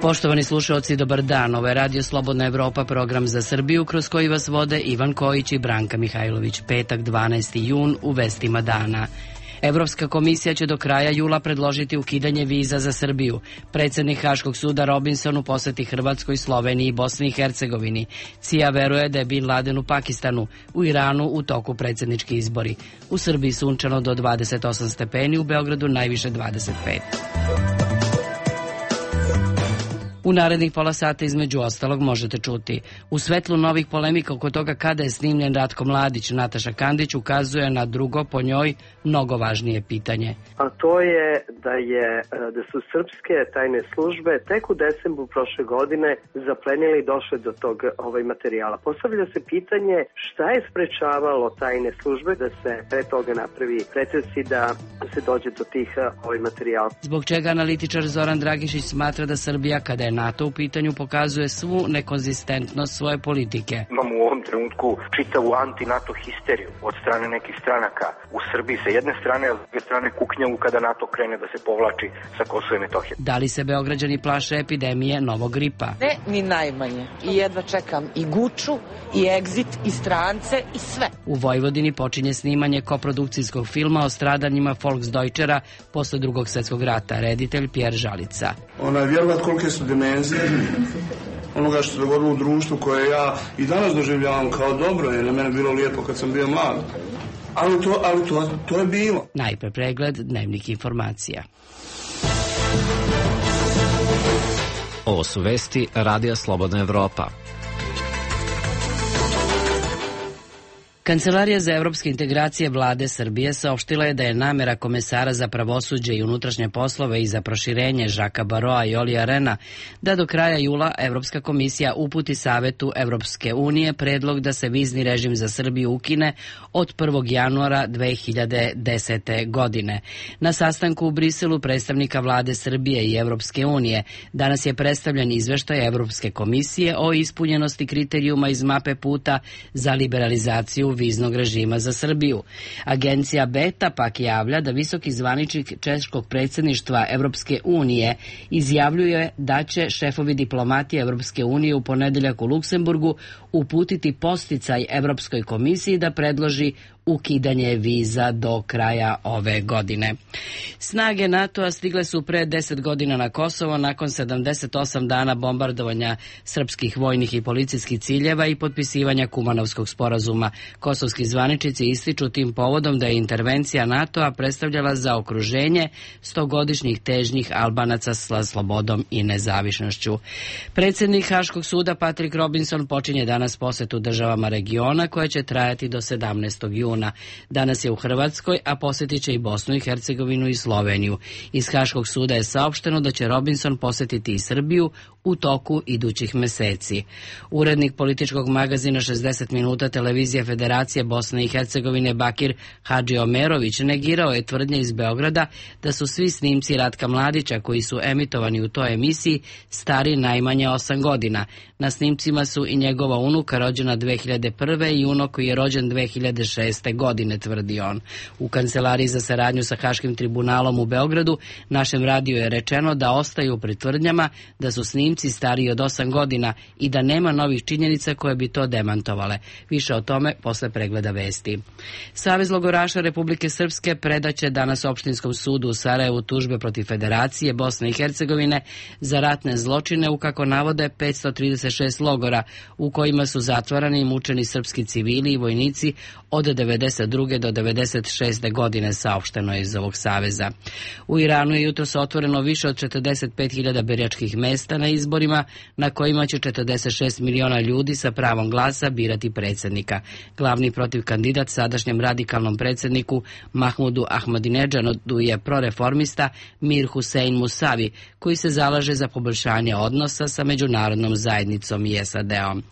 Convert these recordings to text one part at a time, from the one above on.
Poštovani slušaoci, dobar dan. Ovo je Radio Slobodna Evropa, program za Srbiju, kroz koji vas vode Ivan Kojić i Branka Mihajlović. Petak, 12. jun, u vestima dana. Evropska komisija će do kraja jula predložiti ukidanje viza za Srbiju. Predsednik Haškog suda Robinson u poseti Hrvatskoj, Sloveniji i Bosni i Hercegovini. CIA veruje da je Bin Laden u Pakistanu, u Iranu u toku predsednički izbori. U Srbiji sunčano do 28 stepeni, u Beogradu najviše 25. U narednih pola sata između ostalog možete čuti: u svetlu novih polemika oko toga kada je snimljen Ratko Mladić, Nataša Kandić ukazuje na drugo, po njoj, mnogo važnije pitanje. A to je da su srpske tajne službe tek u decembru prošle godine zaplenili i došle do tog materijala. Postavlja se pitanje šta je sprečavalo tajne službe da se pre toga napravi pretresi, da se dođe do tih materijala. Zbog čega analitičar Zoran Dragišić smatra da Srbija, kada je NATO u pitanju, pokazuje svu nekonzistentnost svoje politike. Imamo u ovom trenutku čitavu anti-NATO histeriju od strane nekih stranaka u Srbiji sa jedne strane, a s druge strane kuknjavu kada NATO krene da se povlači sa Kosova i Metohije. Da li se Beograđani plaše epidemije novog gripa? Ne, ni najmanje. I jedva čekam i Guču, i Exit, i strance, i sve. U Vojvodini počinje snimanje koprodukcijskog filma o stradanjima Volksdeutschera posle Drugog svjetskog rata. Reditelj Pjer Žalica. Ona je vjerovat kolike su dimenzije onoga što se dogodilo u društvu koje ja i danas doživljavam kao dobro, jer na mene bilo lijepo kad sam bio mlad. Ali to je bilo. Najpre pregled dnevnih informacija. Ovo su vesti Radija Slobodna Evropa. Kancelarija za evropske integracije vlade Srbije saopštila je da je namera komesara za pravosuđe i unutrašnje poslove i za proširenje Žaka Baroa i Olija Rena da do kraja jula Evropska komisija uputi Savetu Evropske unije predlog da se vizni režim za Srbiju ukine od 1. januara 2010. godine. Na sastanku u Briselu predstavnika vlade Srbije i Evropske unije danas je predstavljen izveštaj Evropske komisije o ispunjenosti kriterijuma iz mape puta za liberalizaciju viznog režima za Srbiju. Agencija Beta pak javlja da visoki zvaničnik češkog predsjedništva Evropske unije izjavljuje da će šefovi diplomatije Evropske unije u ponedeljak u Luksemburgu uputiti podsticaj Evropskoj komisiji da predloži ukidanje viza do kraja ove godine. Snage NATO-a stigle su pre 10 godina na Kosovo nakon 78 dana bombardovanja srpskih vojnih i policijskih ciljeva i potpisivanja Kumanovskog sporazuma. Kosovski zvaničnici ističu tim povodom da je intervencija NATO-a predstavljala zaokruženje 100-godišnjih težnjih Albanaca sa slobodom i nezavisnošću. Predsednik Haškog suda Patrick Robinson počinje danas posetu državama regiona koja će trajati do 17. juna. Danas je u Hrvatskoj, a posjetit će i Bosnu i Hercegovinu i Sloveniju. Iz Haškog suda je saopšteno da će Robinson posjetiti i Srbiju u toku idućih meseci. Urednik političkog magazina 60 minuta televizije Federacije Bosne i Hercegovine Bakir Hadžiomerović negirao je tvrdnje iz Beograda da su svi snimci Ratka Mladića koji su emitovani u toj emisiji stari najmanje 8 godina. Na snimcima su i njegova unuka rođena 2001. i unuk koji je rođen 2006. godine, tvrdi on. U Kancelariji za saradnju sa Haškim tribunalom u Beogradu našem radiju je rečeno da ostaju pri tvrdnjama da su snimci stariji od 8 godina i da nema novih činjenica koje bi to demantovale. Više o tome posle pregleda vesti. Savez logoraša Republike Srpske predaće danas Opštinskom sudu u Sarajevu tužbe protiv Federacije Bosne i Hercegovine za ratne zločine u, kako navode, 536 logora u kojima su zatvarani i mučeni srpski civili i vojnici od 92. do 96. godine, saopšteno je iz ovog saveza. U Iranu je jutros otvoreno više od 45.000 biračkih mesta na izborima na kojima će 46 miliona ljudi sa pravom glasa birati predsjednika. Glavni protivkandidat sadašnjem radikalnom predsjedniku Mahmudu Ahmadinedžadu je proreformista Mir Hussein Musavi, koji se zalaže za poboljšanje odnosa sa međunarodnom zajednicom i SAD-om.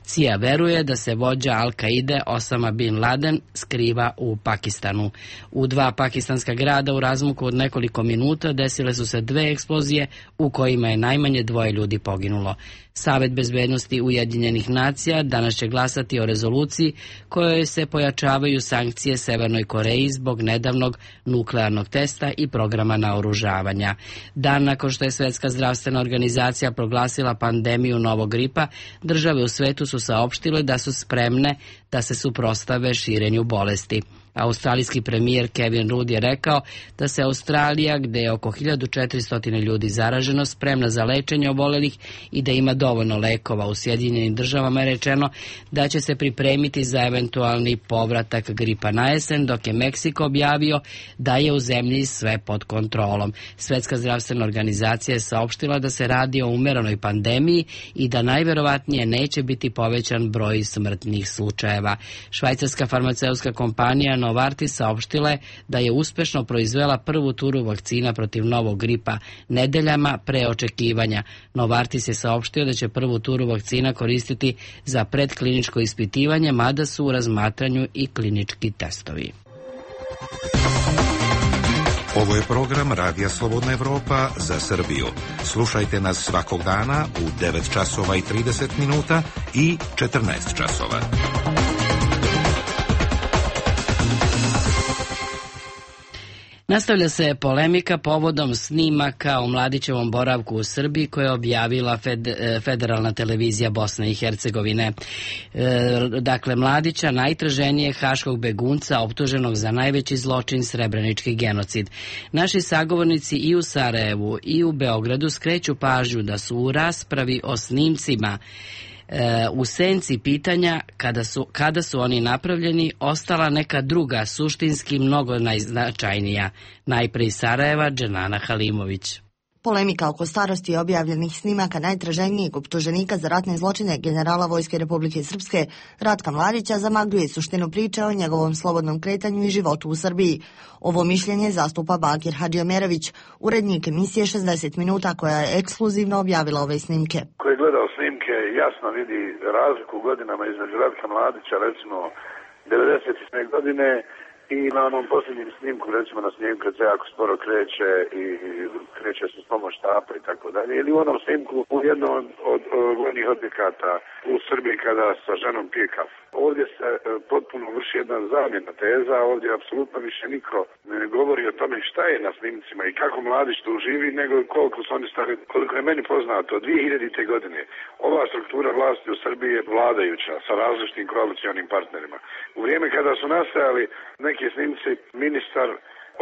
CIA veruje da se vođa Al-Kaide Osama bin Laden skriva u Pakistanu. U 2 pakistanska grada u razmaku od nekoliko minuta desile su se 2 eksplozije u kojima je najmanje 2 ljudi poginulo. Savet bezbednosti Ujedinjenih nacija danas će glasati o rezoluciji kojoj se pojačavaju sankcije Severnoj Koreji zbog nedavnog nuklearnog testa i programa naoružavanja. Dan nakon što je Svetska zdravstvena organizacija proglasila pandemiju novog gripa, države u svetu su saopštile da su spremne da se suprotstave širenju bolesti. Australijski premijer Kevin Rudd je rekao da se Australija, gde je oko 1400 ljudi zaraženo, spremna za lečenje obolelih i da ima dovoljno lekova. U Sjedinjenim državama je rečeno da će se pripremiti za eventualni povratak gripa na jesen, dok je Meksiko objavio da je u zemlji sve pod kontrolom. Svetska zdravstvena organizacija je saopštila da se radi o umerenoj pandemiji i da najverovatnije neće biti povećan broj smrtnih slučajeva. Švajcarska farmaceutska kompanija Novartis saopštila je da je uspešno proizvela prvu turu vakcina protiv novog gripa nedeljama pre očekivanja. Novartis je saopštio da će prvu turu vakcina koristiti za predkliničko ispitivanje, mada su u razmatranju i klinički testovi. Ovo je program Radija Slobodna Evropa za Srbiju. Slušajte nas svakog dana u 9 časova i 30 minuta i 14 časova. Nastavlja se polemika povodom snimaka o Mladićevom boravku u Srbiji koje je objavila Federalna televizija Bosne i Hercegovine. Dakle, Mladića, najtraženijeg haškog begunca optuženog za najveći zločin srebrenički genocid. Naši sagovornici i u Sarajevu i u Beogradu skreću pažnju da su u raspravi o snimcima u senci pitanja kada su oni napravljeni ostala neka druga, suštinski mnogo najznačajnija. Najpre iz Sarajeva, Dženana Halimović. Polemika oko starosti objavljenih snimaka najtraženijeg optuženika za ratne zločine generala Vojske Republike Srpske Ratka Mladića zamagljuje suštinu priče o njegovom slobodnom kretanju i životu u Srbiji. Ovo mišljenje zastupa Bakir Hadžiomerović, urednik emisije 60 minuta koja je ekskluzivno objavila ove snimke. Ko je gledao snimke jasno vidi razliku u godinama između Ratka Mladića, recimo 90. godine, i na onom posljednjem snimku, recimo na snimku kad se jako sporo kreće i kreće se s pomoć štapa i tako dalje, ili u onom snimku u jednom od vojnih objekata u Srbiji kada sa ženom pije kafu. Ovdje se potpuno vrši jedna zamjena teza, ovdje apsolutno više niko ne govori o tome šta je na snimcima i kako Mladić tu živi, nego koliko su oni stari. Koliko je meni poznato, 2000. godine ova struktura vlasti u Srbiji je vladajuća sa različitim koalicionim partnerima. U vrijeme kada su nastajali neki snimci, ministar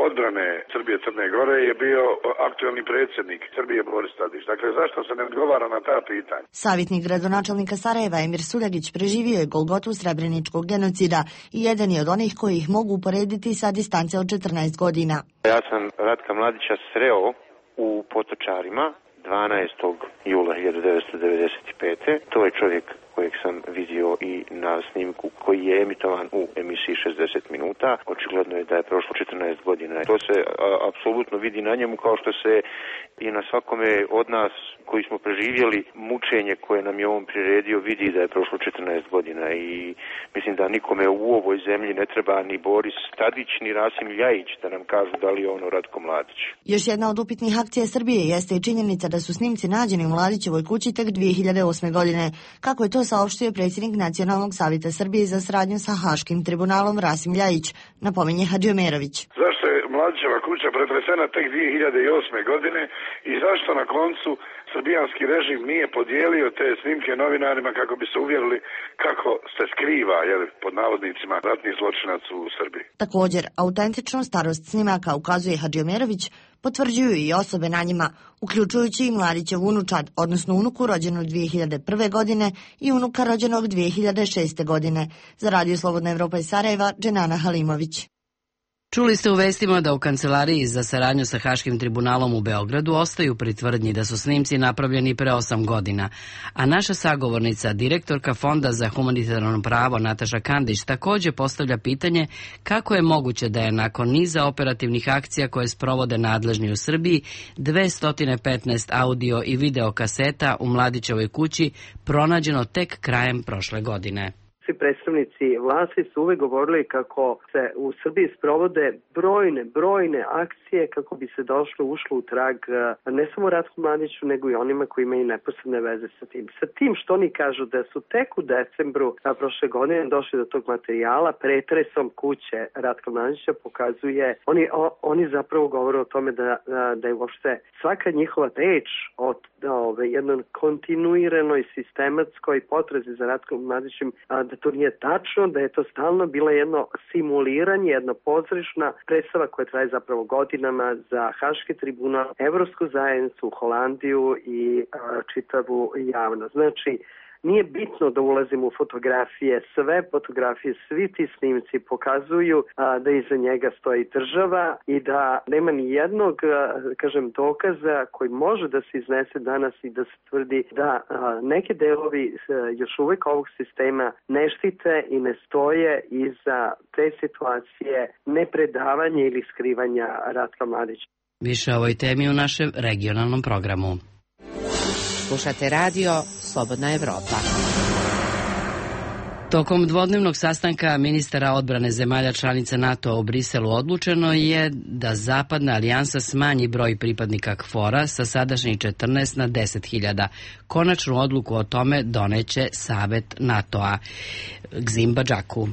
odbrane Srbije Crne Gore je bio aktuelni predsjednik Srbije Boris Tadić. Dakle, zašto se ne odgovara na ta pitanja? Savjetnik gradonačelnika Sarajeva Emir Suljagić preživio je golgotu srebreničkog genocida i jedan je od onih koji ih mogu uporediti sa distance od 14 godina. Ja sam Ratka Mladića sreo u Potočarima 12. jula 1995. To je čovjek kojeg sam vidio i na snimku koji je emitovan u emisiji 60 minuta. Očigledno je da je prošlo 14 godina. To se apsolutno vidi na njemu, kao što se i na svakome od nas koji smo preživjeli mučenje koje nam je on priredio vidi da je prošlo 14 godina i mislim da nikome u ovoj zemlji ne treba ni Boris Tadić ni Rasim Ljajić da nam kažu da li je ono Ratko Mladić. Još jedna od upitnih akcija Srbije jeste i činjenica da su snimci nađeni u Mladićevoj kući tek 2008. godine. Kako je to saopštio predsjednik Nacionalnog savjeta Srbije za saradnju sa Haškim tribunalom Rasim Ljajić, napominje Hadžiomerović. Zašto je Mladićeva kuća pretresena tek 2008. godine i zašto na koncu srbijanski režim nije podijelio te snimke novinarima kako bi se uvjerili kako se skriva, pod navodnicima, ratni zločinac u Srbiji? Također, autentičnu starost snimaka, ukazuje Hadžiomerović, potvrđuju i osobe na njima, uključujući i Mladićev unučad, odnosno unuku rođenu 2001. godine i unuka rođenog 2006. godine. Za Radio Slobodna Evropa iz Sarajeva, Dženana Halimović. Čuli ste u vestima da u Kancelariji za saradnju sa Haškim tribunalom u Beogradu ostaju pri tvrdnji da su snimci napravljeni pre 8 godina, a naša sagovornica, direktorka Fonda za humanitarno pravo Nataša Kandić, takođe postavlja pitanje kako je moguće da je nakon niza operativnih akcija koje sprovode nadležni u Srbiji 215 audio i video kaseta u Mladićevoj kući pronađeno tek krajem prošle godine. Svi predstavnici vlasti su uvek govorili kako se u Srbiji sprovode brojne akcije kako bi se ušlo u trag ne samo Ratku Mladiću, nego i onima koji imaju neposredne veze sa tim. Sa tim što oni kažu da su tek u decembru prošle godine došli do tog materijala, pretresom kuće Ratka Mladića pokazuje, oni zapravo govore o tome da je uopšte svaka njihova reč od jednoj kontinuiranoj sistematskoj potrazi za Ratkom Mladićem, da to nije tačno, da je to stalno bilo jedno simuliranje, jedna pozorišna predstava koja traje zapravo godinama za Haški tribunal, Evropsku zajednicu, Holandiju i čitavu javnost. Znači, nije bitno da ulazimo u fotografije, sve fotografije, svi ti snimci pokazuju da iza njega stoji država i da nema ni jednog, dokaza koji može da se iznese danas i da se tvrdi da neke delovi još uvek ovog sistema ne štite i ne stoje iza te situacije nepredavanja ili skrivanja Ratka Mladića. Više o ovoj temi u našem regionalnom programu. Slušate radio Slobodna Evropa. Tokom dvodnevnog sastanka ministara odbrane zemalja članica NATO u Briselu odlučeno je da Zapadna alijansa smanji broj pripadnika KFOR-a sa sadašnjih 14 na 10.000. Konačnu odluku o tome doneće Savet NATO-a. Gzim Badžaku.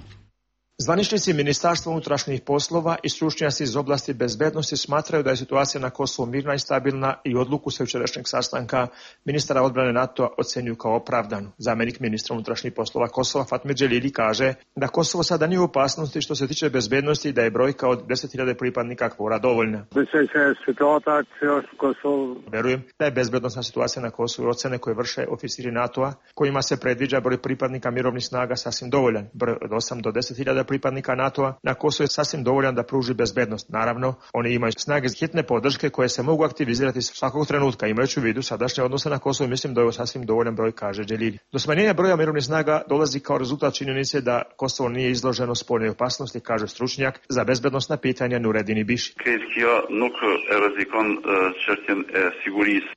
Zvaničnici Ministarstva unutrašnjih poslova i stručnjaci iz oblasti bezbednosti smatraju da je situacija na Kosovu mirna i stabilna i odluku sa jučerašnjeg sastanka ministara odbrane NATO ocenjuju kao opravdanu. Zamjenik ministra unutrašnjih poslova Kosova Fatmir Dželili kaže da Kosovo sada nije u opasnosti što se tiče bezbednosti i da je brojka od 10.000 pripadnika KFOR-a dovoljna. Verujem da je bezbednosna situacija na Kosovu i ocene koje vrše oficiri NATO-a, kojima se predviđa broj pripadnika mirovnih snaga sasvim dovoljan. Broj od 8 do 10.000 pripadnika NATO-a na Kosovu je sasvim dovoljan da pruži bezbednost. Naravno, oni imaju snage hitne podrške koje se mogu aktivizirati svakog trenutka. Imajući u vidu sadašnje odnose na Kosovu, mislim da je ovo sasvim dovoljan broj, kaže Dželili. Do smanjenja broja mirovnih snaga dolazi kao rezultat činjenice da Kosovo nije izloženo spoljnoj opasnosti, kaže stručnjak za bezbednosna pitanja Nureddin Biši.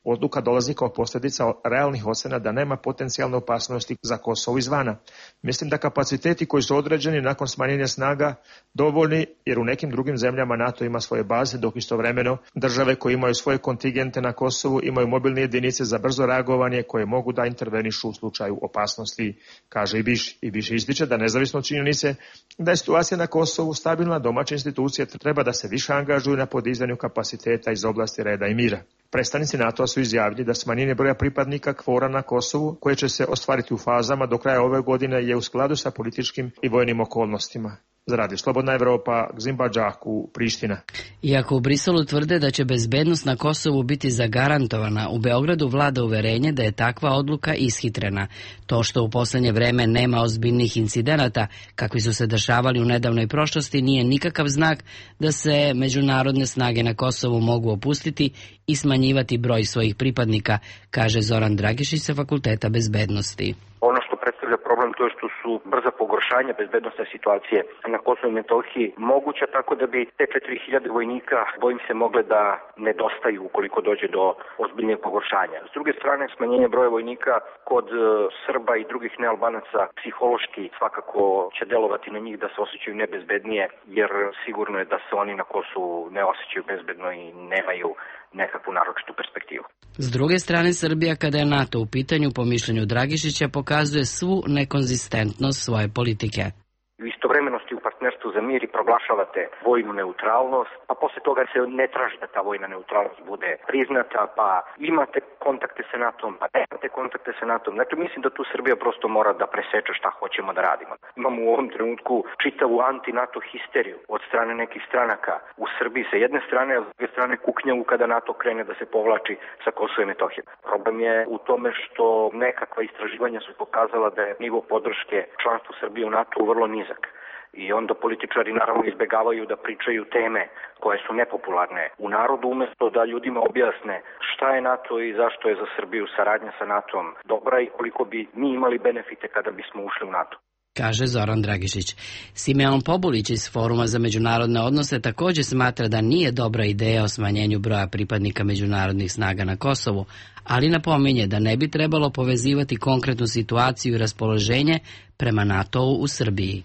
Odluka dolazi kao posljedica realnih ocena da nema potencijalne opasnosti za Kosovo izvana. Mislim da kapaciteti koji su određeni nakon smanjenja snaga dovoljni, jer u nekim drugim zemljama NATO ima svoje baze, dok istovremeno države koje imaju svoje kontingente na Kosovu imaju mobilne jedinice za brzo reagovanje koje mogu da intervenišu u slučaju opasnosti, kaže i Biši. I Biši ističe da nezavisno od činjenice da je situacija na Kosovu stabilna, domaće institucije treba da se više angažuju na podizanju kapaciteta iz oblasti reda i mira. Predstavnici NATO-a su izjavili da smanjenje broja pripadnika KFOR-a na Kosovu, koje će se ostvariti u fazama do kraja ove godine, je u skladu sa političkim i vojnim okolnostima. Za Radio Slobodna Evropa, Gzim Badžaku, Priština. Iako u Briselu tvrde da će bezbednost na Kosovu biti zagarantovana, u Beogradu vlada uverenje da je takva odluka ishitrena. To što u poslednje vreme nema ozbiljnih incidenata, kakvi su se dešavali u nedavnoj prošlosti, nije nikakav znak da se međunarodne snage na Kosovu mogu opustiti i smanjivati broj svojih pripadnika, kaže Zoran Dragišić sa Fakulteta bezbednosti. Ono što predstavlja problem to je što su brza pogoršanja bezbednosne situacije na Kosovu i Metohiji moguća, tako da bi te 4.000 vojnika, bojim se, mogle da nedostaju ukoliko dođe do ozbiljnijeg pogoršanja. S druge strane, smanjenje broja vojnika kod Srba i drugih nealbanaca psihološki svakako će delovati na njih da se osjećaju nebezbednije, jer sigurno je da se oni na Kosovu ne osjećaju bezbedno i nemaju nekakvu naročitu perspektivu. S druge strane, Srbija, kada je NATO u pitanju, po mišljenju Dragišića, pokazuje svu nekonzistentnost svoje politike. U istovremeno u partnerstvu za mir i proglašavate vojnu neutralnost, pa posle toga se ne traži da ta vojna neutralnost bude priznata, pa imate kontakte sa NATO-om, pa nemate kontakte sa NATO-om. Znači, mislim da tu Srbija prosto mora da preseče šta hoćemo da radimo. Imamo u ovom trenutku čitavu anti-NATO histeriju od strane nekih stranaka u Srbiji sa jedne strane, a s druge strane kuknjavu kada NATO krene da se povlači sa Kosova i Metohije. Problem je u tome što nekakva istraživanja su pokazala da je nivo podrške članstvu Srbije u NATO vrlo nizak. I onda političari naravno izbegavaju da pričaju teme koje su nepopularne u narodu, umesto da ljudima objasne šta je NATO i zašto je za Srbiju saradnja sa NATO-om dobra i koliko bi mi imali benefite kada bismo ušli u NATO. Kaže Zoran Dragišić. Simeon Pobulić iz Foruma za međunarodne odnose također smatra da nije dobra ideja o smanjenju broja pripadnika međunarodnih snaga na Kosovu, ali napominje da ne bi trebalo povezivati konkretnu situaciju i raspoloženje prema NATO-u u Srbiji.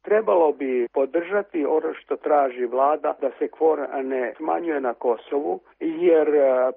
Trebalo bi podržati ono što traži vlada da se KFOR ne smanjuje na Kosovu, jer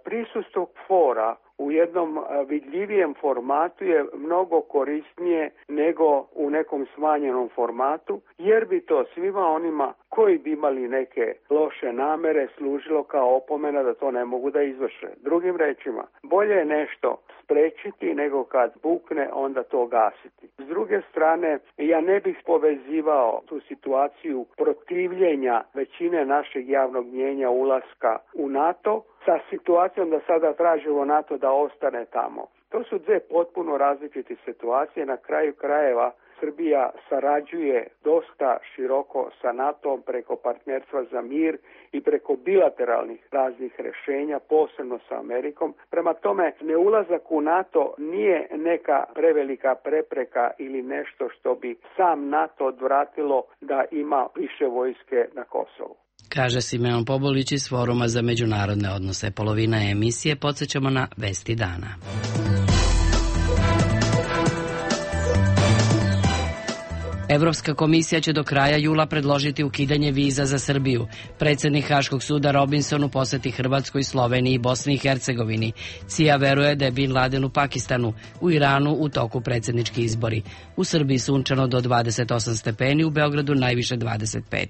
prisustvo KFOR-a u jednom vidljivijem formatu je mnogo korisnije nego u nekom smanjenom formatu, jer bi to svima onima koji bi imali neke loše namere služilo kao opomena da to ne mogu da izvrše. Drugim rečima, bolje je nešto sprečiti nego kad bukne onda to gasiti. S druge strane, ja ne bih povezivao tu situaciju protivljenja većine našeg javnog mnijenja ulaska u NATO sa situacijom da sada tražimo NATO da ostane tamo. To su dve potpuno različite situacije. Na kraju krajeva Srbija sarađuje dosta široko sa NATO-om preko partnerstva za mir i preko bilateralnih raznih rješenja, posebno sa Amerikom. Prema tome, neulazak u NATO nije neka prevelika prepreka ili nešto što bi sam NATO odvratilo da ima više vojske na Kosovu. Kaže Simeon Pobulić iz Foruma za međunarodne odnose. Polovina emisije podsjećamo na Vesti dana. Evropska komisija će do kraja jula predložiti ukidanje viza za Srbiju. Predsjednik Haškog suda Robinson u posjeti Hrvatskoj, Sloveniji i Bosni i Hercegovini. CIA veruje da je Bin Laden u Pakistanu, u Iranu u toku predsjednički izbori. U Srbiji sunčano do 28 stepeni, u Beogradu najviše 25.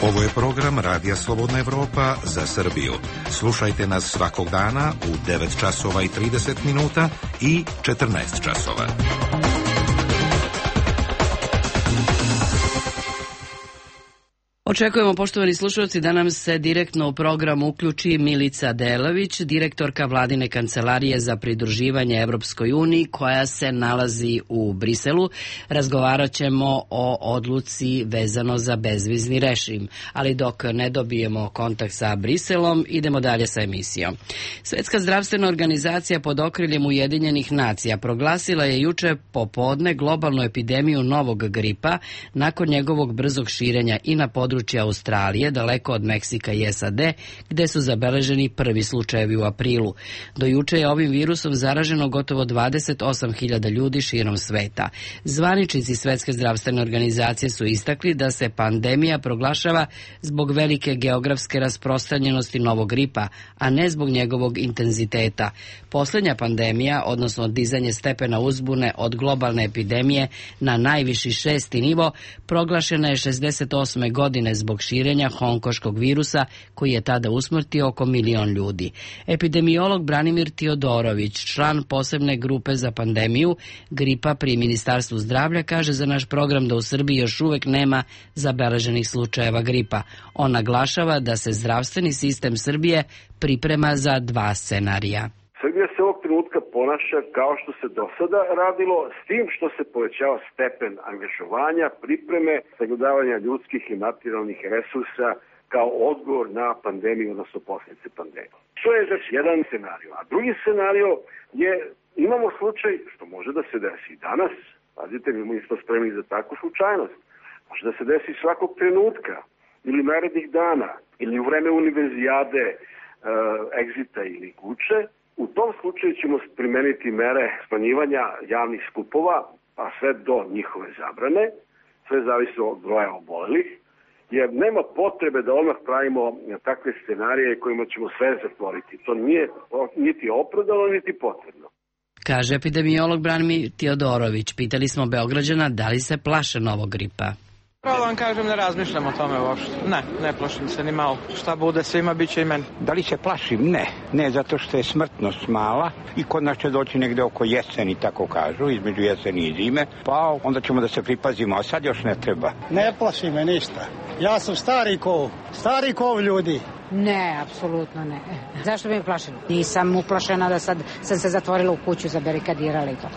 Ovo je program Radija Slobodna Evropa za Srbiju. Slušajte nas svakog dana u 9 časova i 30 minuta i 14 časova. Očekujemo, poštovani slušalci, da nam se direktno u program uključi Milica Delević, direktorka vladine kancelarije za pridruživanje Evropskoj uniji, koja se nalazi u Briselu. Razgovarat ćemo o odluci vezano za bezvizni režim, ali dok ne dobijemo kontakt sa Briselom, idemo dalje sa emisijom. Svjetska zdravstvena organizacija pod okriljem Ujedinjenih nacija proglasila je juče popodne globalnu epidemiju novog gripa nakon njegovog brzog širenja i na području Australije, daleko od Meksika i SAD, gde su zabeleženi prvi slučajevi u aprilu. Do juče je ovim virusom zaraženo gotovo 28.000 ljudi širom sveta. Zvaničnici Svjetske zdravstvene organizacije su istakli da se pandemija proglašava zbog velike geografske rasprostranjenosti novog gripa, a ne zbog njegovog intenziteta. Posljednja pandemija, odnosno dizanje stepena uzbune od globalne epidemije na najviši 6. nivo, proglašena je 68. godine zbog širenja hongkoškog virusa koji je tada usmrtio oko 1 milion ljudi. Epidemiolog Branimir Tiodorović, član posebne grupe za pandemiju gripa pri Ministarstvu zdravlja, kaže za naš program da u Srbiji još uvek nema zabeleženih slučajeva gripa. On naglašava da se zdravstveni sistem Srbije priprema za 2 scenarija. Srbija se ovog trenutka ponaša kao što se do sada radilo, s tim što se povećava stepen angažovanja, pripreme, sagledavanja ljudskih i materijalnih resursa kao odgovor na pandemiju, odnosno posljedice pandemije. To je znači jedan scenario. A drugi scenario je, imamo slučaj, što može da se desi danas, pazite, mi smo spremni za takvu slučajnost, može da se desi svakog trenutka, ili narednih dana, ili u vreme univerzijade, egzita ili kuće. U tom slučaju ćemo primeniti mere smanjivanja javnih skupova, pa sve do njihove zabrane, sve zavisi od broja obolelih, jer nema potrebe da odmah pravimo takve scenarije kojima ćemo sve zatvoriti. To nije niti opravdano, niti potrebno. Kaže epidemiolog Branimir Tiodorović. Pitali smo Beograđana da li se plaše novog gripa. Pravo vam kažem, ne razmišljam o tome uopšte. Ne plašim se ni malo. Šta bude svima, bit će i meni. Da li se plašim? Ne, zato što je smrtnost mala i kod nas će doći negde oko jeseni, tako kažu, između jeseni i zime, pa onda ćemo da se pripazimo, a sad još ne treba. Ne plaši me ništa. Ja sam stari kov ljudi. Ne, apsolutno ne. Zašto bi me plašilo? Nisam uplašena da sad sam se zatvorila u kuću, zabarikadirala i to.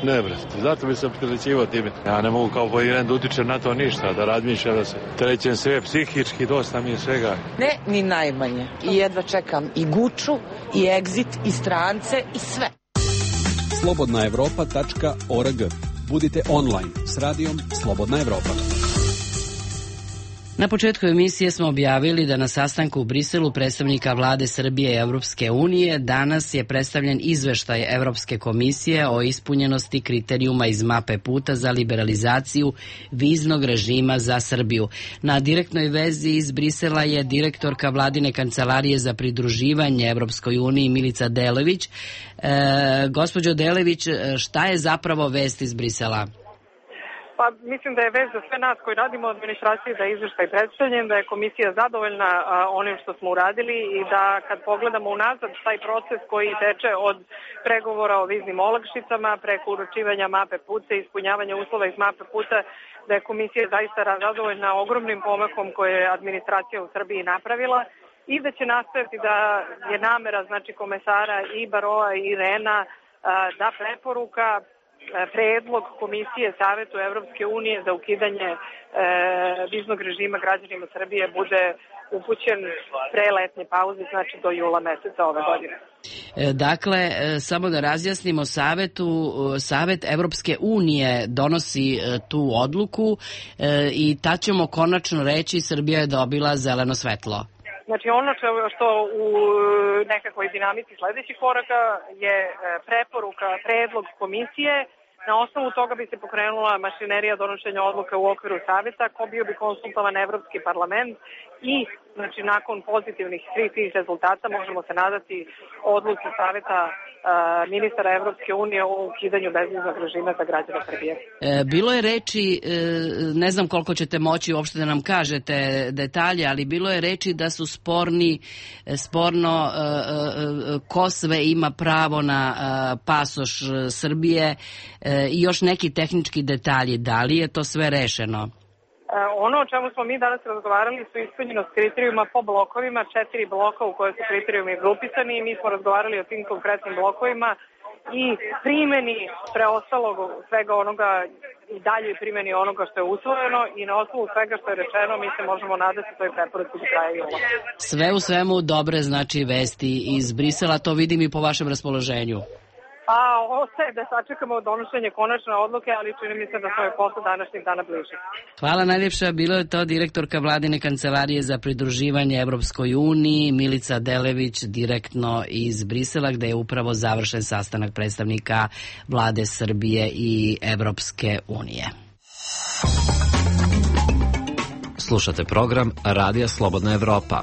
Ne, brate, zato bi se opterećivao time. Ja ne mogu kao povjeren da utičem na to ništa, da razmišljam, da se trećem sve psihički, dosta mi je svega. Ne, ni najmanje. I jedva čekam i Guču, i Exit, i strance, i sve. slobodnaevropa.org. Budite online s radijom Slobodna Evropa. Na početku emisije smo objavili da na sastanku u Briselu predstavnika vlade Srbije i Evropske unije danas je predstavljen izveštaj Evropske komisije o ispunjenosti kriterijuma iz mape puta za liberalizaciju viznog režima za Srbiju. Na direktnoj vezi iz Brisela je direktorka vladine kancelarije za pridruživanje Evropskoj uniji Milica Delević. Gospođo Delević, šta je zapravo vest iz Brisela? Pa mislim da je vez za sve nas koji radimo u administraciji da je izveštaj predstavljen, da je komisija zadovoljna onim što smo uradili i da kad pogledamo unazad taj proces koji teče od pregovora o viznim olakšicama preko uručivanja mape puta i ispunjavanja uslova iz mape puta, da je komisija zaista zadovoljna ogromnim pomakom koje je administracija u Srbiji napravila i da će nastaviti da je namera znači komesara i Baroa i Rena da preporuka predlog Komisije Savetu Evropske unije za ukidanje viznog režima građanima Srbije bude upućen pre letnje pauze, znači do jula meseca ove godine. Dakle, samo da razjasnimo, Savet Evropske unije donosi tu odluku i tad ćemo konačno reći Srbija je dobila zeleno svetlo. Znači ono što u nekakvoj dinamici sledećih koraka je preporuka, predlog komisije. Na osnovu toga bi se pokrenula mašinerija donošenja odluka u okviru savjeta, ko bio bi konsultovan Evropski parlament i znači nakon pozitivnih svih tih rezultata možemo se nadati odluci savjeta ministara Evropske unije o ukidanju bezviznog režima za građane Srbije. Bilo je reči, ne znam koliko ćete moći uopšte da nam kažete detalje, ali bilo je reči da su sporno ko sve ima pravo na pasoš Srbije i još neki tehnički detalji. Da li je to sve rešeno? Ono o čemu smo mi danas razgovarali su ispunjenost kriterijuma po blokovima, 4 bloka u koje su kriterijumi grupisani i mi smo razgovarali o tim konkretnim blokovima i primjeni preostalog svega onoga i dalje primjeni onoga što je usvojeno i na osnovu svega što je rečeno mi se možemo nadati toj preporuci do kraja jula. Sve u svemu dobre znači vesti iz Brisela, to vidim i po vašem raspoloženju. A ostaje da sačekamo donošenje konačne odluke, ali čini mi se da smo je posle današnjeg dana bliže. Hvala najljepša, bilo je to direktorka vladine kancelarije za pridruživanje Evropskoj uniji Milica Delević direktno iz Brisela gde je upravo završen sastanak predstavnika vlade Srbije i Evropske unije. Slušate program Radija Slobodna Evropa.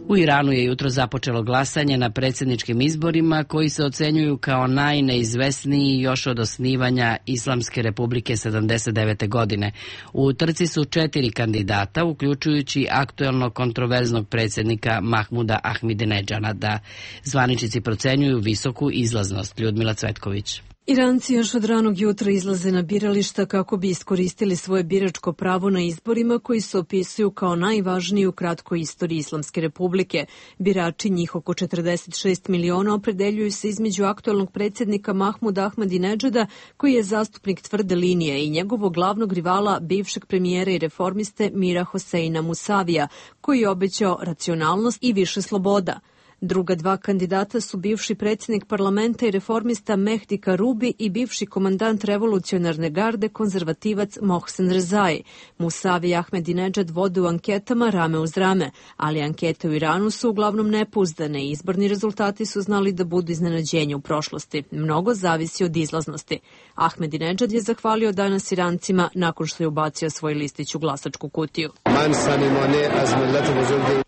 U Iranu je jutro započelo glasanje na predsjedničkim izborima koji se ocenjuju kao najneizvesniji još od osnivanja Islamske republike 79. godine. U trci su 4 kandidata, uključujući aktuelnog kontroverznog predsjednika Mahmuda Ahmadinedžada. Zvaničnici procenjuju visoku izlaznost. Ljudmila Cvetković. Iranci još od ranog jutra izlaze na birališta kako bi iskoristili svoje biračko pravo na izborima koji se opisuju kao najvažniji u kratkoj istoriji Islamske republike. Birači, njih oko 46 miliona, opredeljuju se između aktualnog predsjednika Mahmuda Ahmadinedžada, koji je zastupnik tvrde linije, i njegovog glavnog rivala, bivšeg premijera i reformiste Mira Hoseina Musavija, koji je obećao racionalnost i više sloboda. Druga 2 kandidata su bivši predsjednik parlamenta i reformista Mehdi Karubi i bivši komandant revolucionarne garde konzervativac Mohsen Rezai. Musavi i Ahmadinedžad vode u anketama rame uz rame, ali ankete u Iranu su uglavnom nepouzdane i izborni rezultati su znali da budu iznenađenje u prošlosti. Mnogo zavisi od izlaznosti. Ahmadinedžad je zahvalio danas Irancima nakon što je ubacio svoj listić u glasačku kutiju.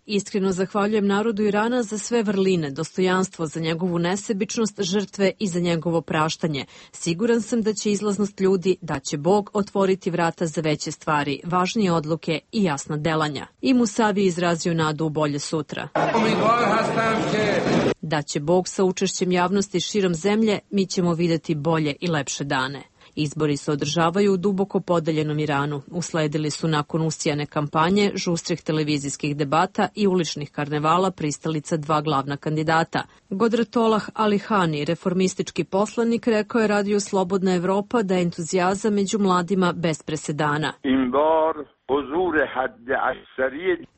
Iskreno zahvaljujem narodu Irana za sve vrline, dostojanstvo, za njegovu nesebičnost, žrtve i za njegovo praštanje. Siguran sam da će izlaznost ljudi, da će Bog otvoriti vrata za veće stvari, važnije odluke i jasna delanja. I Musavi je izrazio nadu u bolje sutra. Da će Bog sa učešćem javnosti širom zemlje, mi ćemo videti bolje i lepše dane. Izbori se održavaju u duboko podeljenom Iranu. Usledili su nakon usijane kampanje, žustrih televizijskih debata i uličnih karnevala pristalica dva glavna kandidata. Godretollah Alihani, reformistički poslanik, rekao je radiju Slobodna Evropa da je entuzijazam među mladima bez presedana.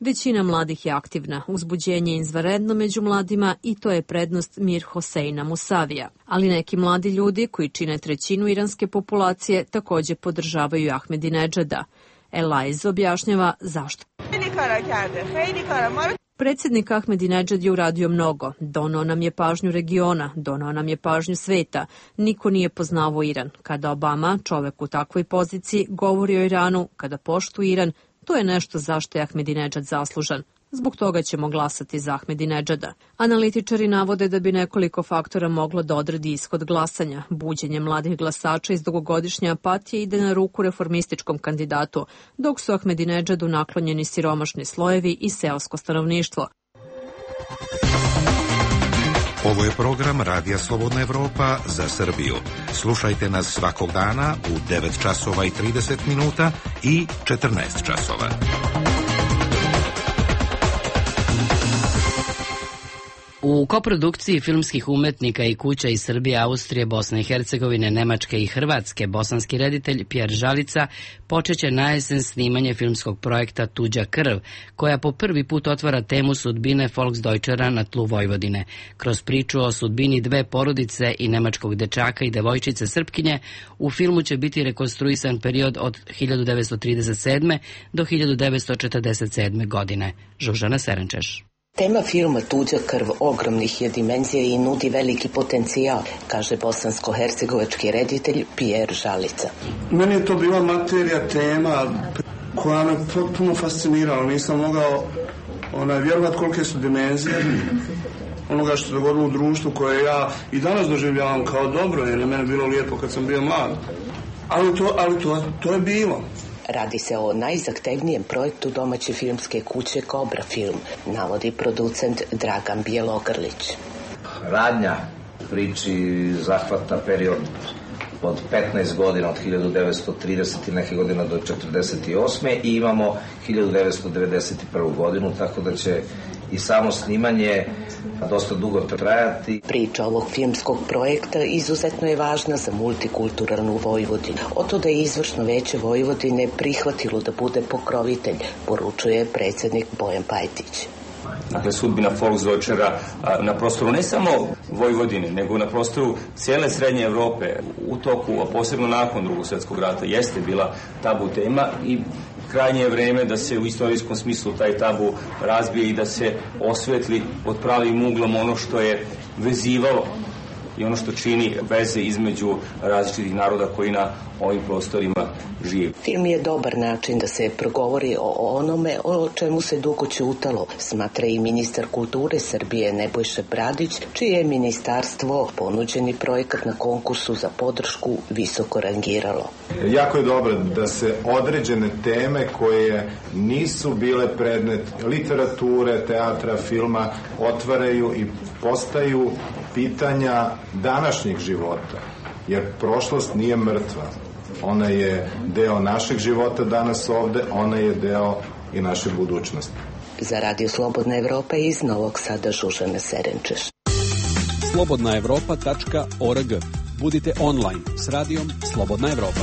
Većina mladih je aktivna, uzbuđenje je izvanredno među mladima i to je prednost Mir Hoseina Musavija. Ali neki mladi ljudi koji čine trećinu iranske populacije također podržavaju Ahmedinedžada. Elaiz objašnjava zašto. Predsjednik Ahmedinedžad je uradio mnogo. Donao nam je pažnju regiona, donao nam je pažnju sveta. Niko nije poznavao Iran. Kada Obama, čovek u takvoj poziciji, govori o Iranu, kada poštuje Iran, to je nešto zašto je Ahmedinedžad zaslužan. Zbog toga ćemo glasati za Ahmedinedžada. Analitičari navode da bi nekoliko faktora moglo da odredi ishod glasanja. Buđenje mladih glasača iz dugogodišnje apatije ide na ruku reformističkom kandidatu, dok su Ahmedinedžadu naklonjeni siromašni slojevi i seosko stanovništvo. Ovo je program Radija Slobodna Evropa za Srbiju. Slušajte nas svakog dana u 9 časova i 30 minuta i 14 časova. U koprodukciji filmskih umetnika i kuća iz Srbije, Austrije, Bosne i Hercegovine, Nemačke i Hrvatske, bosanski reditelj Pjer Žalica počeće na jesen snimanje filmskog projekta Tuđa krv, koja po prvi put otvara temu sudbine Volksdeutschera na tlu Vojvodine. Kroz priču o sudbini dve porodice i nemačkog dečaka i devojčice Srpkinje, u filmu će biti rekonstruisan period od 1937. do 1947. godine. Žužana Serenčeš. Tema filma Tuđa krv ogromnih je dimenzija i nudi veliki potencijal, kaže bosansko-hercegovački reditelj Pjer Žalica. Meni je to bila materija, tema koja me potpuno fascinirala. Nisam mogao vjerovati kolike su dimenzije onoga što se dogodilo u društvu koje ja i danas doživljavam kao dobro, jer je mene bilo lijepo kad sam bio mlad. Ali to je bilo. Radi se o najzahtevnijem projektu domaće filmske kuće Kobra film, navodi producent Dragan Bjelogrlić. Radnja priči zahvata period od 15 godina, od 1930 i neke godine do 1948. i imamo 1991. godinu, tako da će i samo snimanje dosta dugo trajati. Priča ovog filmskog projekta izuzetno je važna za multikulturalnu Vojvodinu. Oto da je izvršno veće Vojvodine prihvatilo da bude pokrovitelj, poručuje predsjednik Bojan Pajtić. Dakle, sudbina Volksdeutschera na prostoru ne samo Vojvodine, nego na prostoru cijele Srednje Evrope u toku, a posebno nakon Drugog svjetskog rata, jeste bila tabu tema i krajnje je vreme da se u istorijskom smislu taj tabu razbije i da se osvetli pod pravim uglom ono što je vezivalo i ono što čini veze između različitih naroda koji na ovim prostorima žive. Film je dobar način da se progovori o onome o čemu se dugo ćutalo, smatra i ministar kulture Srbije Nebojša Bradić, čije je ministarstvo ponuđeni projekat na konkursu za podršku visoko rangiralo. Jako je dobro da se određene teme koje nisu bile predmet literature, teatra, filma otvaraju i postaju pitanja današnjeg života, jer prošlost nije mrtva. Ona je deo našeg života danas ovde, ona je deo i naše budućnosti. Za Radio Slobodna Evropa iz Novog Sada Žužana Serenčeš. slobodnaevropa.org. Budite online s radijom Slobodna Evropa.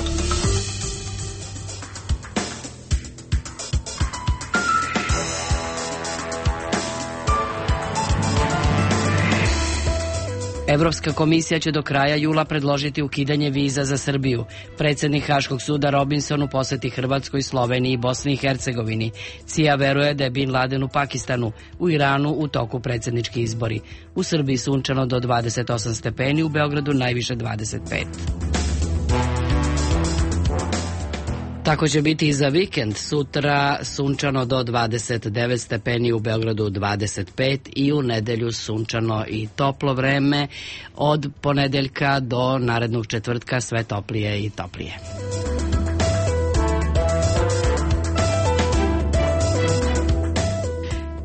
Evropska komisija će do kraja jula predložiti ukidanje viza za Srbiju. Predsjednik Haškog suda Robinson u poseti Hrvatskoj, Sloveniji i Bosni i Hercegovini. CIA veruje da je Bin Laden u Pakistanu, u Iranu u toku predsjednički izbori. U Srbiji sunčano do 28 stepeni, u Beogradu najviše 25. Tako će biti i za vikend. Sutra sunčano do 29 stepeni, u Beogradu 25 i u nedelju sunčano i toplo vreme. Od ponedeljka do narednog četvrtka sve toplije i toplije.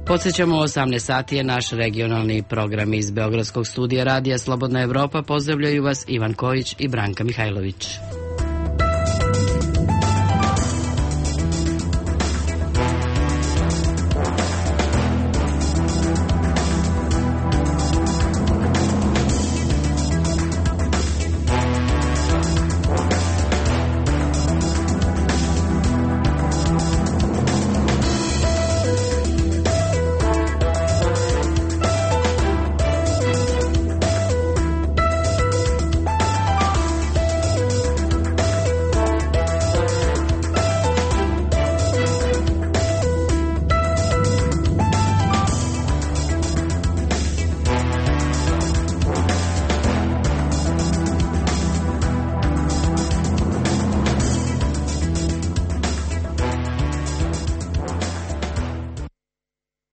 Podsjećamo, 18 sati je naš regionalni program iz Beogradskog studija Radija Slobodna Evropa. Pozdravljaju vas Ivan Kojić i Branka Mihajlović.